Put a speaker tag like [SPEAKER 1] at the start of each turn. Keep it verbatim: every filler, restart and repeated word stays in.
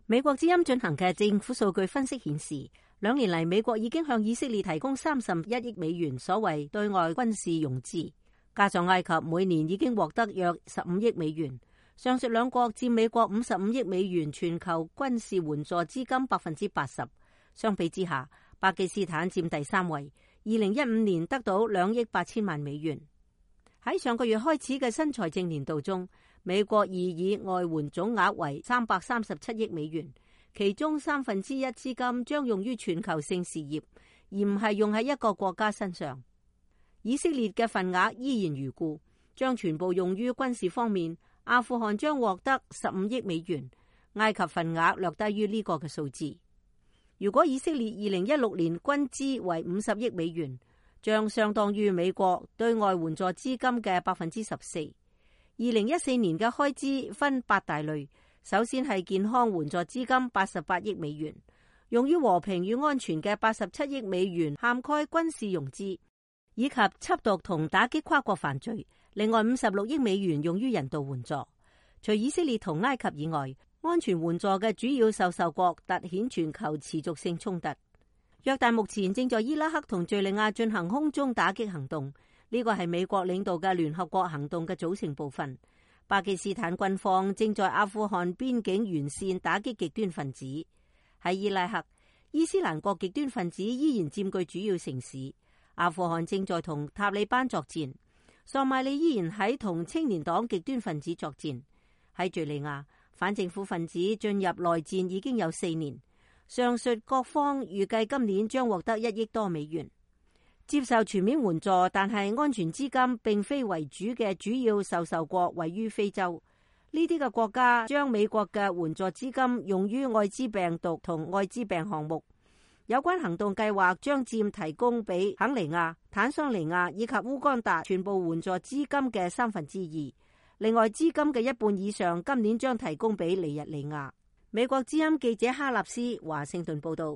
[SPEAKER 1] 美國之音進行嘅政府數據分析顯示，兩年嚟美國已經向以色列提供三十一億美元所謂對外軍事融資，加上埃及每年已經獲得約十五億美元。上述兩國佔美國五十五億美元全球軍事援助資金百分之八十。相比之下，巴基斯坦佔第三位，二零一五年得到兩億八千萬美元。喺上個月開始嘅新財政年度中，美國擬議外援總額為三百三十七億美元，其中三分之一資金將用於全球性事業，而唔係用喺一個國家身上。以色列嘅份額依然如故，將全部用於軍事方面。阿富汗將獲得十五億美元，埃及份額略低於呢個嘅數字。如果以色列二零一六年軍資為五十億美元，將相當於美國對外援助資金嘅百分之十四。二零一四年嘅開支分八大類，首先係健康援助資金八十八億美元，用於和平與安全嘅八十七億美元涵蓋軍事融資，以及緝毒同打擊跨國犯罪。另外五十六億美元用於人道援助。除以色列同埃及以外，安全援助嘅主要受受國凸顯全球持續性衝突。約旦目前正在伊拉克同敘利亞進行空中打擊行動，呢個係美國領導嘅聯合國行動嘅組成部分。巴基斯坦軍方正在阿富汗邊境沿線打擊極端分子。喺伊拉克，伊斯蘭國極端分子依然佔據主要城市。阿富汗正在同塔利班作戰。索馬里依然喺同青年黨極端分子作戰。喺敘利亞，反政府分子進入內戰已經有四年。上述各方預計今年將獲得一億多美元，接受全面援助，但係安全資金並非為主嘅主要受受國位於非洲。呢啲嘅國家將美國嘅援助資金用於愛滋病毒同愛滋病項目。有關行動計劃將佔提供俾肯尼亞、坦桑尼亞以及烏干達全部援助資金嘅三分之二。另外，資金嘅一半以上今年將提供俾尼日利亞。美國之音記者哈納斯華盛頓報道。